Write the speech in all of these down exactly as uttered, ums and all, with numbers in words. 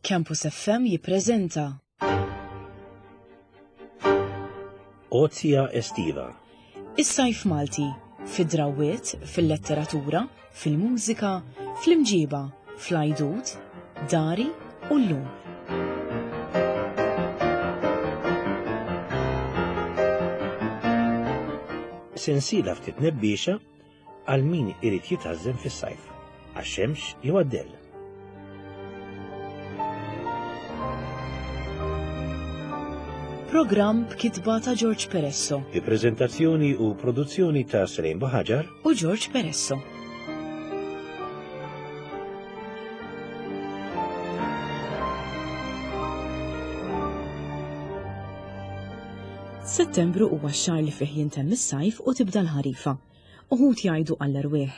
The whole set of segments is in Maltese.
Campus F M jippreżenta Ozja Estiva. Is-sajf Malti fid-drawwiet, fil-letteratura, fil-mużika, fl-imġiba, fl-għajdut, dari u llum. Sensiela ftit nebbiexa għal min irid jitgħażżen fis-sajf, għax-xemx jew għad-dell. Programm b'kitba ta' George Peresso Bi preżentazzjoni u produzzjoni ta' Selene Buhagiar u George Peresso. Settembru huwa x-xahar li fih jintemm is-sajf u tibda l-ħarifa. Uħud jgħidu għall-erwieħ,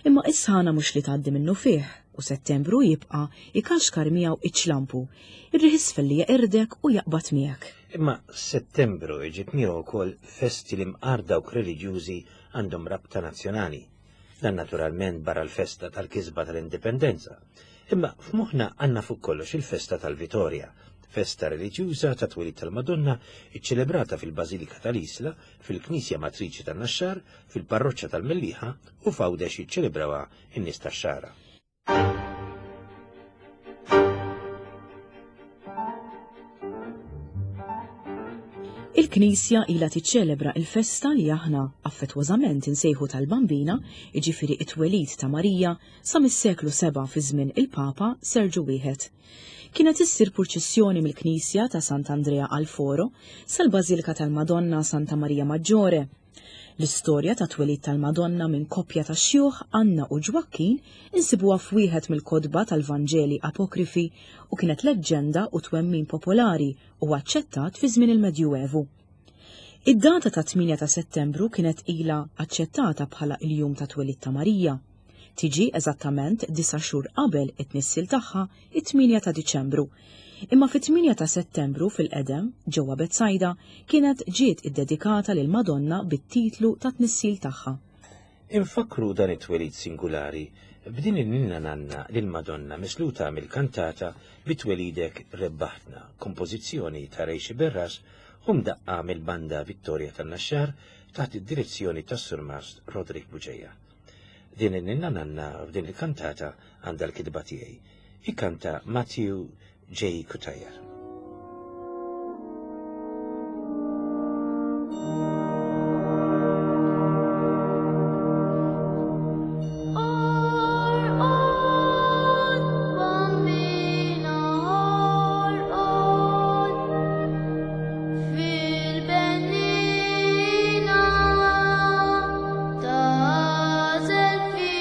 imma is-sħana mhux li tgħaddi minnu fih u Settembru jibqa' ikaxkar miegħu iċ-ċlampu, ir-riħ isfel li jeqirdek u jaqbad miegħek. Imma Settembru jġib miegħu wkoll festi li mqar dawk reliġjużi għandhom rabta nazzjonali. Dan naturalment barra l-festa tal-kisba tal-Indipendenza. Imma f'moħħna għandna fuq kollox il-festa tal-Vitorja, festa reliġjuża ta' twelid tal-Madonna iċċelebrata fil-Bażilika tal-Isla, fil-Knisja Matriċi tan-Naxxar, fil-Parroċċa tal-Mellieħa u f'Għawdex jiċċelebrawha in-nies tax-Xagħra. Il-Knisja ilha tiċċelebra il-festa li aħna affettwożament insejħu tal-Bambina, jiġifieri it-twelid ta' Marija, sa mis-seklu seba' fi żmien il-Papa Serġu wieħed. Kienet issir purċissjoni mill-Knisja ta' Sant'Andrea al Foro sal-Bażilika tal-Madonna Santa Maria Maggiore. L-istorja ta' twelid tal-Madonna minn koppja ta' xjuħ Anna u Ġwakkin insibuha f'wieħed mill-kotba tal-Vanġeli Apokrifi u kienet leġġenda u twemmin popolari u aċċettat fi żmien il-Medjuevu. Id-data ta' tmienja ta' Settembru kienet ilha aċċettata bħala il-jum ta' twelid ta' Marija. Tiġi eżattament disa' xhur qabel it-tnissil tagħha it-tmienja ta' Diċembru. Imma fit-tmienja ta' Settembru fil-qedem ġewwa Betsajda kienet ġiet iddedikata lil Madonna bit-titlu ta' tnissil tagħha. Infakru dan it-twelid singulari b'din il-ninna nanna lil Madonna misluta mill-kantata Bitwelidek Rebbaħtna, kompożizzjoni ta' Ray Sciberras u mdaqqa mill-banda Vittoria tan-Naxxar taħt id-direzzjoni tas-Surmast Roderick Bugeja. Din il-ninna nanna f'din il-kantata għandha l-kitba tiegħi. Ikanta Matthew J. Cutajar. Orqod, Bambina, orqod, fil-benniena tagħżel fik.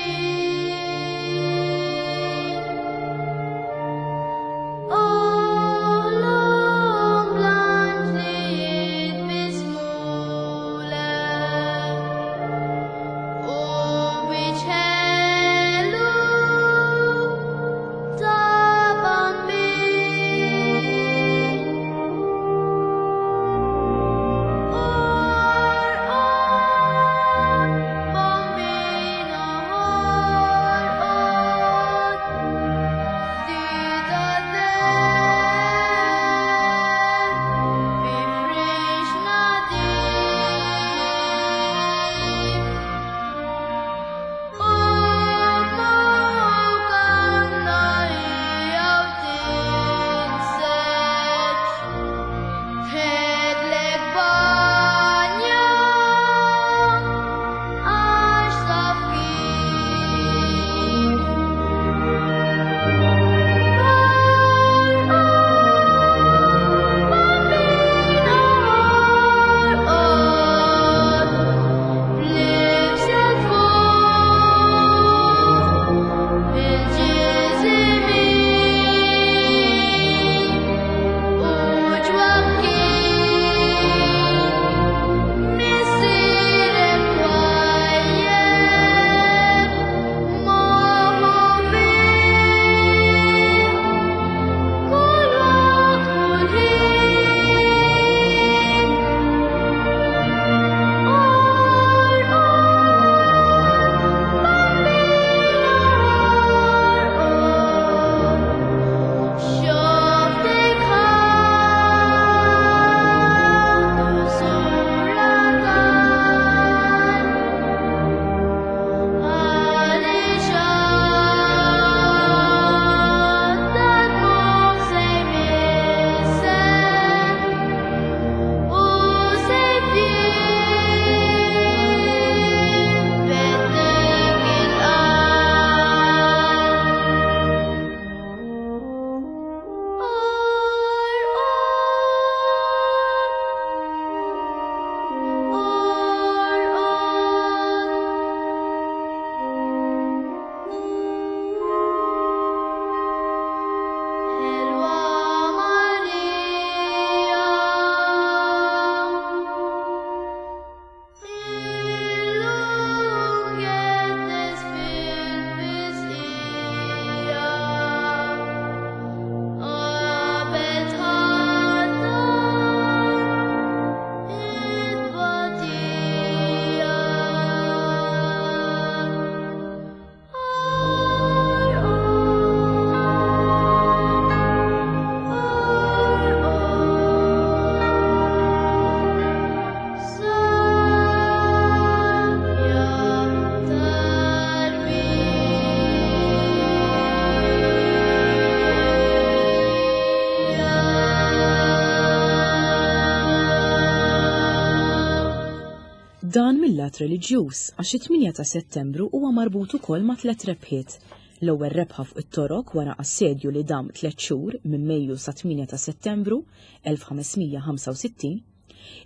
mil-lat reliġjuż għax it-tmienja ta' Settembru huwa marbut ukoll ma' tliet rebħiet. L-ewwel rebħa fuq it-Torok wara assedju li dam tliet xhur minn Mejju sa tmienja ta' Settembru elf ħames mija ħamsa u sittin,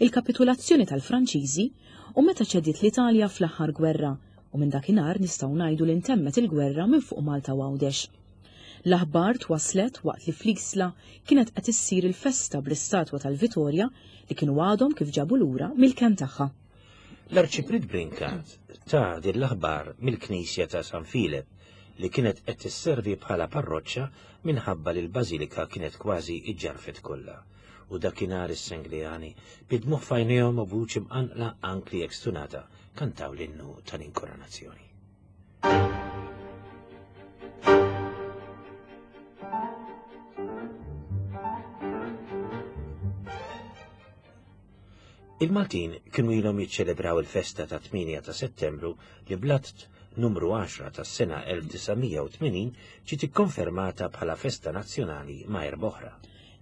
il-kapitulazzjoni tal-Franċiżi u meta ċediet l-Italja fl-aħħar gwerra, u minn dakinhar nistgħu ngħidu li ntemmet il-gwerra minn fuq Malta u Għawdex. L-aħbar twaslet waqt li fl-Isla kienet qed issir il-festa bl-istatwa tal-Vitorja li kienu għadhom kif ġabu lura mill-kenn tagħha. L-Arċipriet Brincat ta' din l-aħbar mill-Knisja ta' San Filep li kienet qed tisservi bħala parroċċa minħabba li l-Bażilika kienet kważi iġġarfet kollha. U dakinhar is-Sengleani bidmuh f'għajnejhom u vuċi mqanqla anki jekk stunata kantaw l-innu tal-inkoronazzjoni. Il-Maltin kienu ilhom jiċċelebraw il-festa ta' tmienja ta' Settembru li bl-att numru għaxra tas-sena elf disa' mija u tmenin ġiet ikkonfermata bħala festa nazzjonali ma' erba' oħra.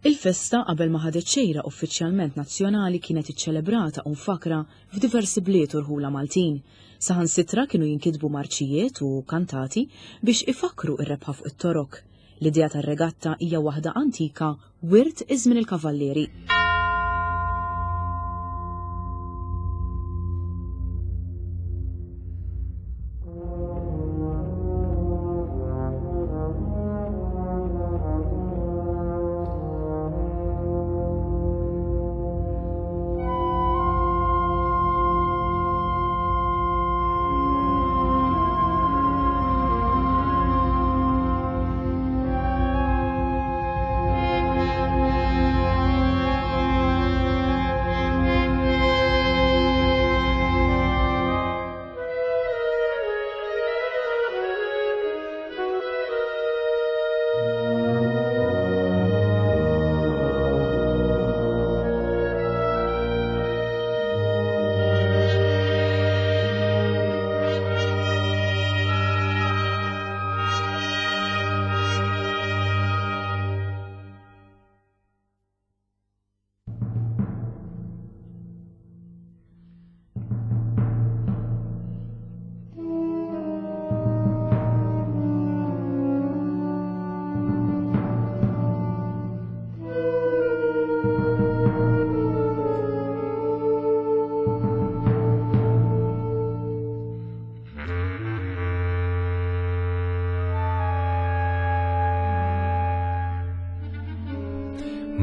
Il-festa qabel ma ħadet xejra uffiċjalment nazzjonali kienet iċċelebrata u mfakra f'diversi bliet u rħula Maltin. Saħansitra kienu jinkitbu marċijiet u kantati biex ifakru ir-rebħa fuq it-Torok. L-idea tar-regatta hija waħda antika wirt iż-żmien il-Kavallieri.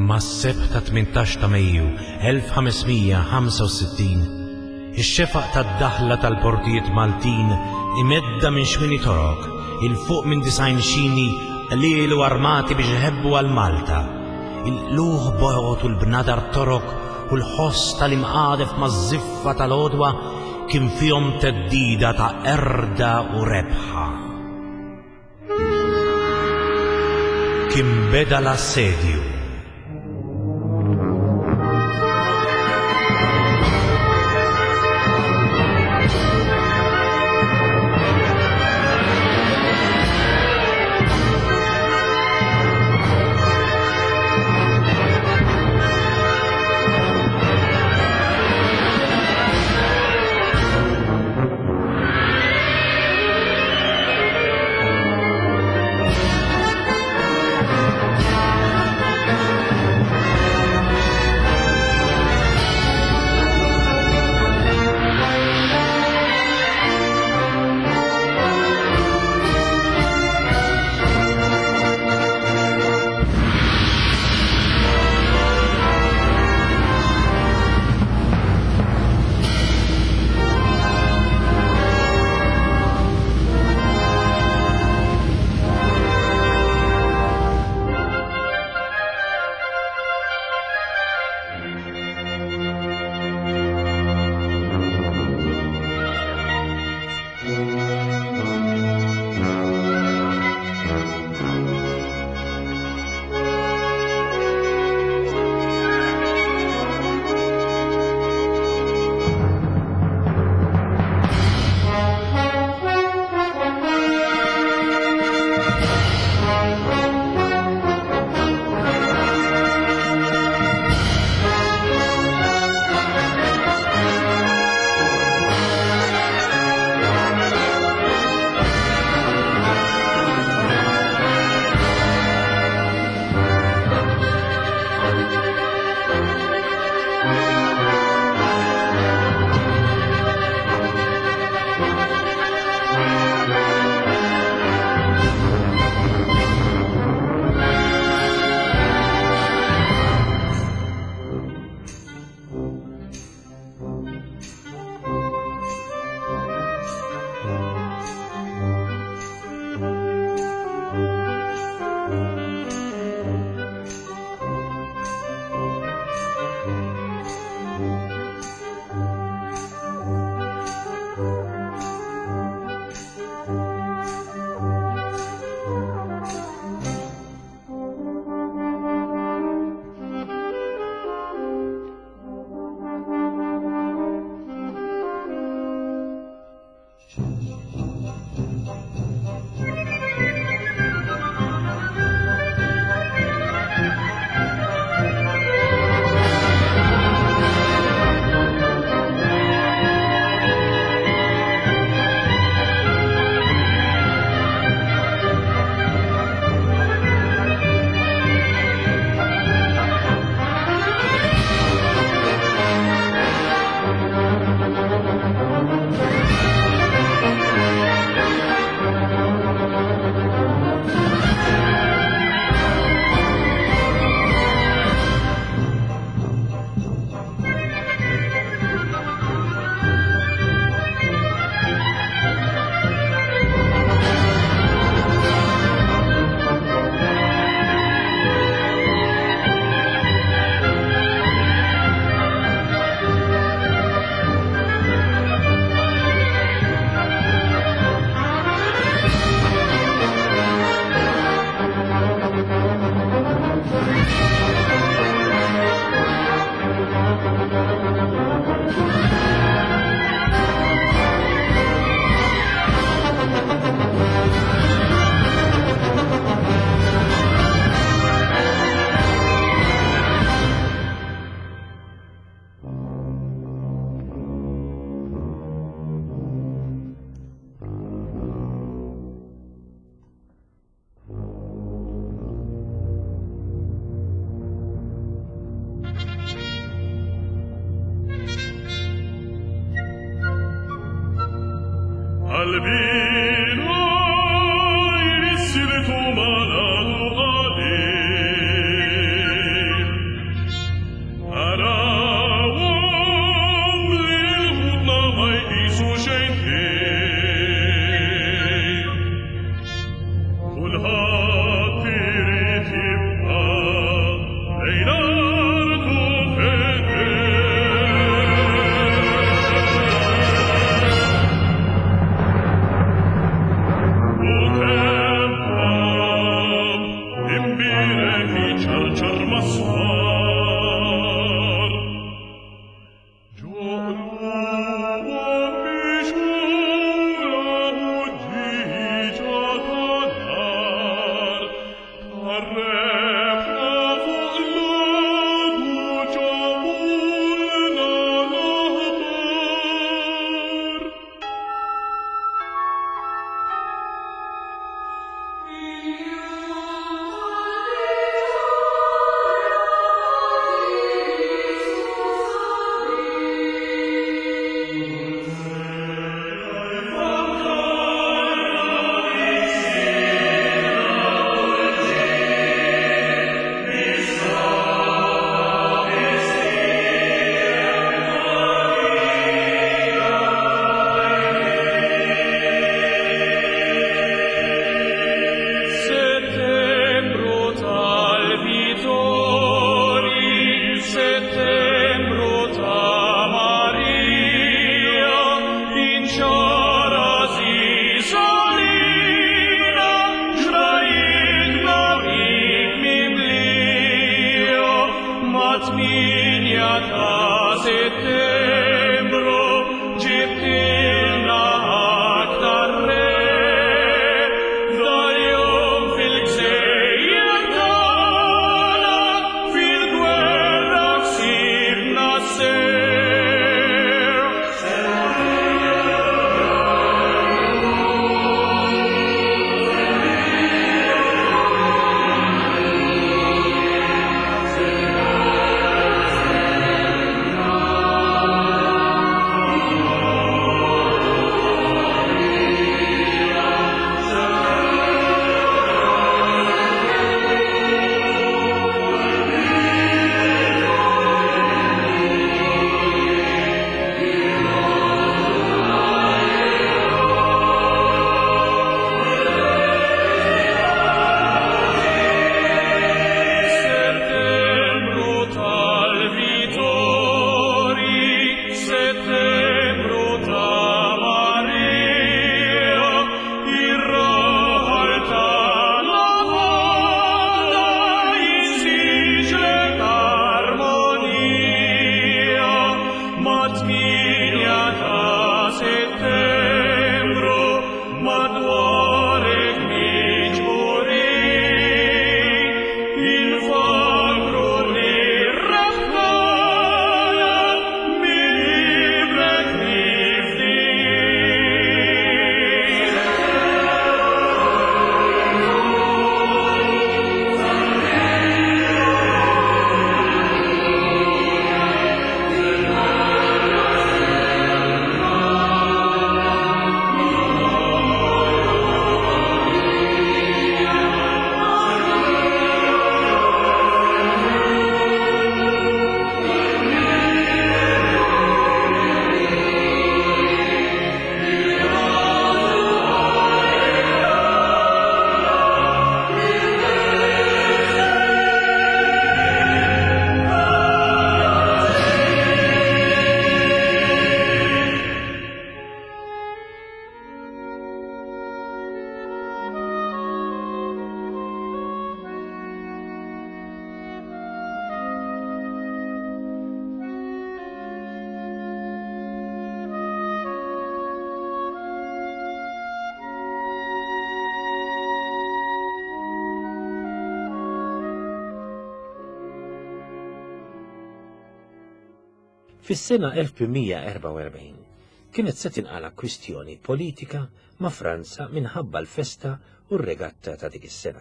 Mas-sebħ ta' tmintax ta' Mejju elf ħames mija ħamsa u sittin, ix-xefaq tad-daħla tal-portijiet Maltin imedda minn xmini Torok il fuq minn disajn xini qliel u armati biex iħebbu għal Malta. Il-qluħ bojot u l-bnadar Torok u l-ħoss tal-imqadef maż-żiffa tal-għodwa kien fihom teddida ta' erda u rebħa. Kien beda l-assedju. Qalbina jmissiltu maladu qalil. Arawhom lil ħutna ma jqisu xejn ħin. Kulħadd irid jibqa' lejn artu fidil. U kemm ħabb imbierek iċarċar mas-swar. Ġo qlubhom mixgħula ħuġġieġa ta' nar, tar-rebħa fuq l-għadu ġabulna l-aħbar. Settembru tal-Vittori, settembru ta' Maria, inxara zisolina, ġrajitna bik mimlija, mat-tminja ta' settembru ġibtilna aktar re. Dal-jum fil-gżejjer tagħna, fil-gwerra ksibna s-serħ. Settembru tal-Vittori, settembru ta' Maria, ir-raħal tagħna ħana jinsiġlek armonija. Mat-tminja ta' settembru madwarek miġburin, infakru li rebħana minn ibrek nifdin. Fis-sena elf tmien mija erbgħa u erbgħin kienet se tinqala kwistjoni politika ma' Franza minħabba l-festa u r-regatta ta' dik is-sena.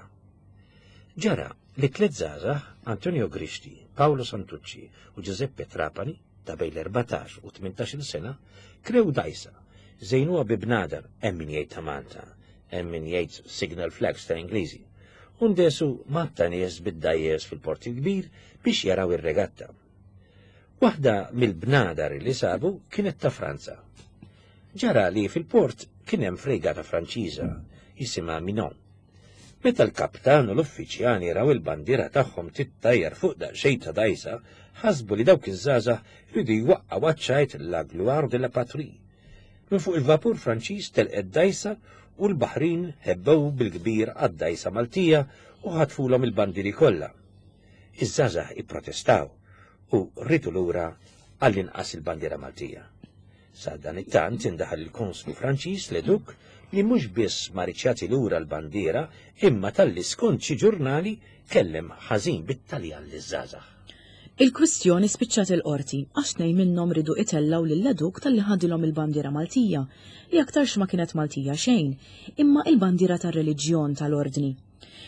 Ġara li tliet żgħażagħ, Antonio Grixti, Paolo Santucci u Giuseppe Trapani, ta' bejn l-erbatax u tmintax-il sena, krew dajsa Żejnuha bi bnadar, hemm min jgħid ta' Malta, hemm min jgħid signal flags ta' Ingliżi. U ndesu matta nies bid-dajjes fil-Port il-Kbir biex jaraw ir-regatta. Waħda mill-bnadar li sabu kienet ta' Franza. Ġara li fil-port kien hemm fregata Franċiża jisimha Minon. Meta l-kaptan u l-uffiċjali raw il-bandiera tagħhom tittajjar fuq daqsxejn ta' dajsa, ħasbu li dawk iż-żgħażagħ jridu jwaqqgħu għaċ-ċajt la gloire de la patrie. Minn fuq il-vapur Franċiż telqet dajsa u l-baħrin ħebbew bil-kbir għad-dajsa Maltija u ħatfulhom il-bandieri kollha. Iż-żgħażagħ ipprotestaw u rridu lura għall-inqas il-bandiera Maltija. Sa dan it-tant indaħal il-konslu Franċiż Leduc li mhux biss ma riedx jagħti lura l-bandiera imma talli skont xi ġurnali kellem ħażin bit-Taljan liż-żgħażagħ. Il-kwistjoni spiċċat il-qorti għax tnejn minnhom ridu itellaw lil Leduc talli ħadilhom il-bandiera Maltija li aktarx ma kienet Maltija xejn, imma il-bandiera tar-reliġjon tal-ordni.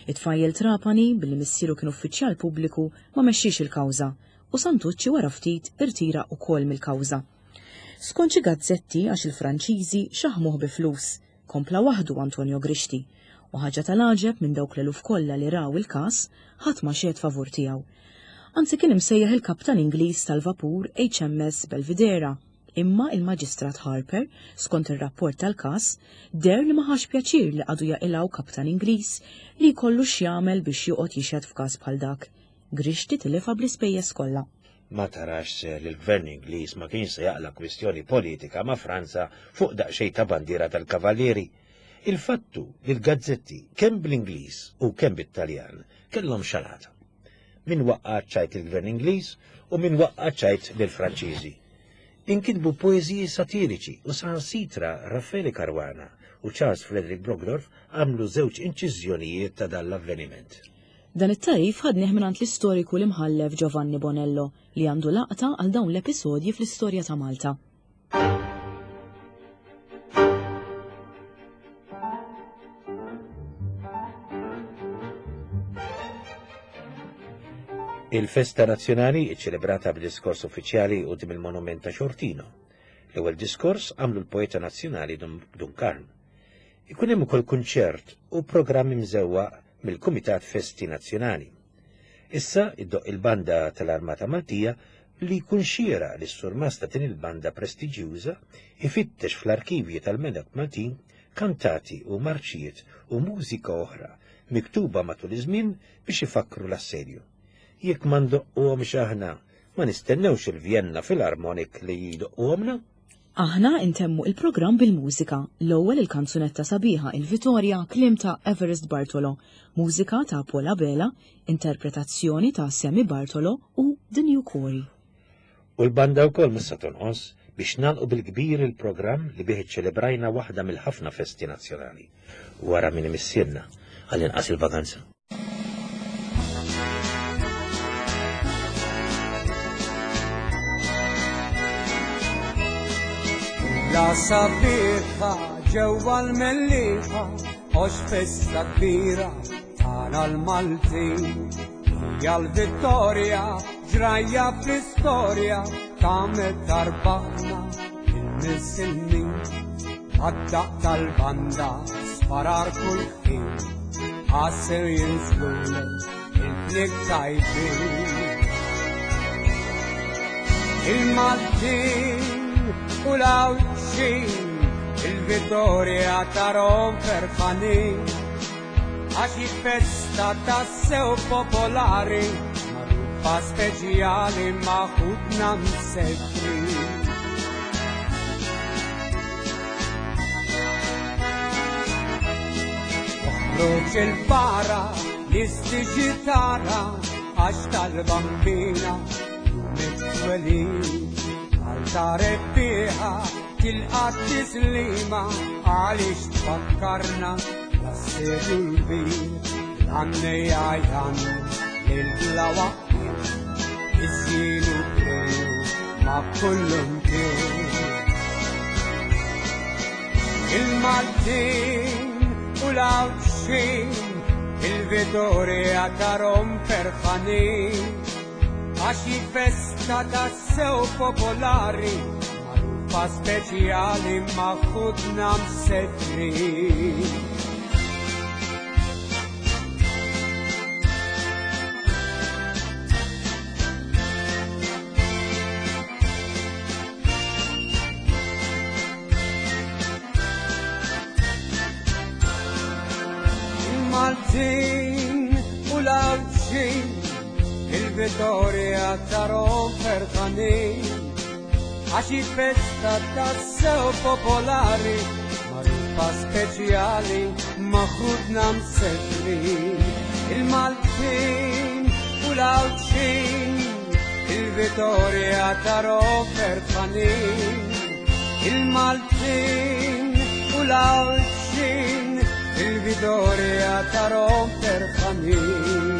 It-tfajjel Trapani billi missieru kien uffiċjal pubbliku ma mexxiex il-kawża u Santucci wara ftit irtira wkoll mill-kawża. Skont xi gazzetti għax il-Franċiżi xaħmuh bi flus, kompla waħdu Antonio Grixti u ħaġa tal-għaġeb minn dawk l-eluf kollha li raw il-każ ħadd ma xehed favur tiegħu. Anzi kien imsejjaħ il-kaptan Ingliż tal-vapur H M S Belvidera, imma il-Maġistrat Harper, skont ir-rapport tal-każ, deher li ma ħax pjaċir li għadu jaqilgħu kaptan Ingliż li jkollu x'jagħmel biex joqgħod jixhed f'każ bħal dak. Grixti tilifha bl-ispejjeż kollha. Ma tarax se li l-gvern Ingliż ma kienx se jaqla' kwistjoni politika ma' Franza fuq daqsxejn ta' bandiera tal-Kavallieri. Il-fattu li l-gazzetti kemm bl-Ingliż u kemm bit-Taljan kellhom xalata. Min waqqa' ċajt il-gvern Ingliż u min waqqa' ċajt lill-Franċiżi. Inkitbu poeżiji satiriċi u saħansitra Raffaele Caruana u Charles Frederick Brogdorf għamlu żewġ inċiżjonijiet ta' dan l-avveniment. Dan it-tarif ħadnih mingħand l-istoriku l-imħallef Giovanni Bonello li għandu laqta għal dawn l-episodji fl-istorja ta' Malta. Il-festa nazzjonali ċċelebrata b'diskors uffiċjali quddiem il-monument ta' Xortino. L-ewwel diskors għamlu l-poeta nazzjonali Dun, Dun Karm. Ikun hemm ukoll kunċert u programmi mżewwaq mill-Kumitat Festi Nazzjonali. Issa iddoq il-banda tal-Armata Maltija li jkun xieraq li s-surmast ta' din il-banda prestiġjuża ifittex fl-arkivji tal-Melok Maltin kantati u marċijiet u mużika oħra miktuba matul iż-żmien biex ifakkru l-assedju. Jekk ma ndoqquhomx aħna, ma nistennewx il-Vienna Philharmonic li jdoqquhomna. Aħna intemmu il-programm bil-mużika. L-ewwel il-kanzunetta sabiħa il-Vitorja, kliem ta' Everest Bartolo, mużika ta' Paul Abela, interpretazzjoni ta' Sammy Bartolo u The New Quarry. U l-banda wkoll mhux se tonqos biex nagħlqu bil-kbir il-programm li bih iċċelebrajna waħda mill-ħafna festi nazzjonali. Wara min imissirna għall-inqas il-vaganza. La sabiħa ġewwa l-Mellieħa, għax festa kbira tagħna l-Maltin. Hija l-vittorja ġrajja fl-istorja ta' meta rbaħna il-Misilmin. Għad-daqq tal-banda sparar kull ħin, għasir jinżlulek il-flieg tajbin. Il-Maltin u l-Għawdxin, il-vittorja tarhom ferħanin, għax hi festa tassew popolari, magħrufa speċjali ma' ħutna msefrin. Oħroġ il-para nistiġi tara, għax tal-bambina jum it-twelid. Malta rebbieħa tilqa' t-tislima għaliex tfakkarna l-assedju l-kbir. L-għannejja jgħannu lil bla waqfien, iż-żienu prenu ma' kullum kien. Il-Maltin u l-Għawdxin, il-vittorja tarhom ferħanin, għax hi festa tassew popolari, magħrufa Magħrufa speċjali ma' ħutna msefrin. Il-Maltin u l-Għawdxin il-Vittoria tarom ferħanin, għax hi festa tassew popolari, magħrufa speċjali ma' ħutna msefrin. Il-Maltin u l-Għawdxin il-Vittoria tarom ferħanin, il-Maltin u l-Għawdxin il-Vittoria tarom ferħanin.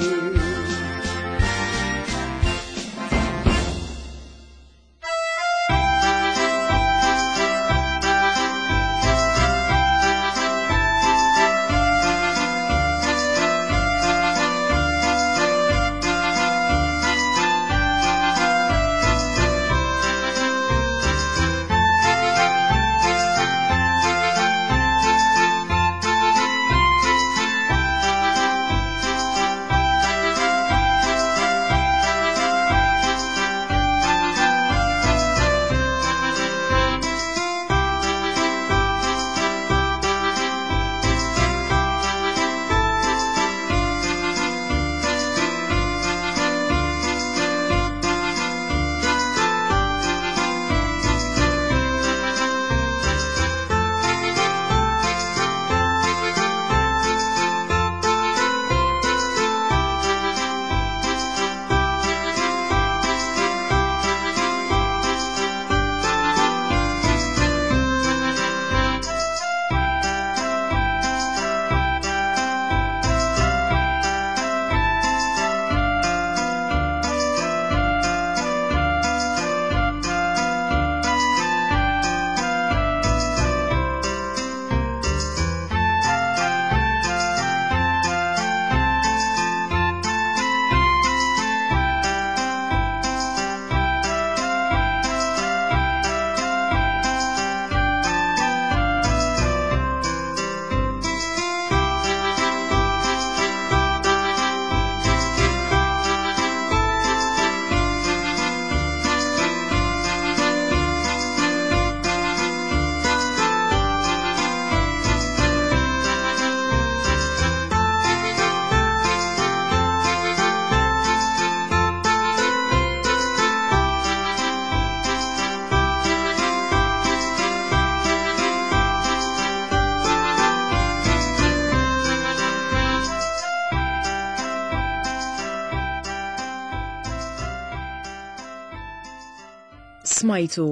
Smajtu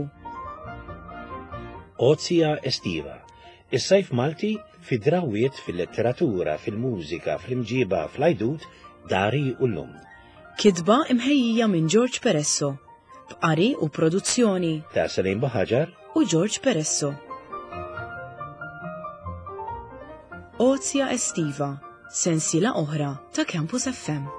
Ozja Estiva, is-sajf Malti fi drawiet fil-letteratura, fil-mużika, fl-imġiba, fl-ajdut, dari u l-lum. Kitba imħejjija minn George Peresso, b'qari u produzzjoni Ta' Salim Buhaġar u George Peresso. Ozja Estiva, sensiela oħra ta' Campus F M.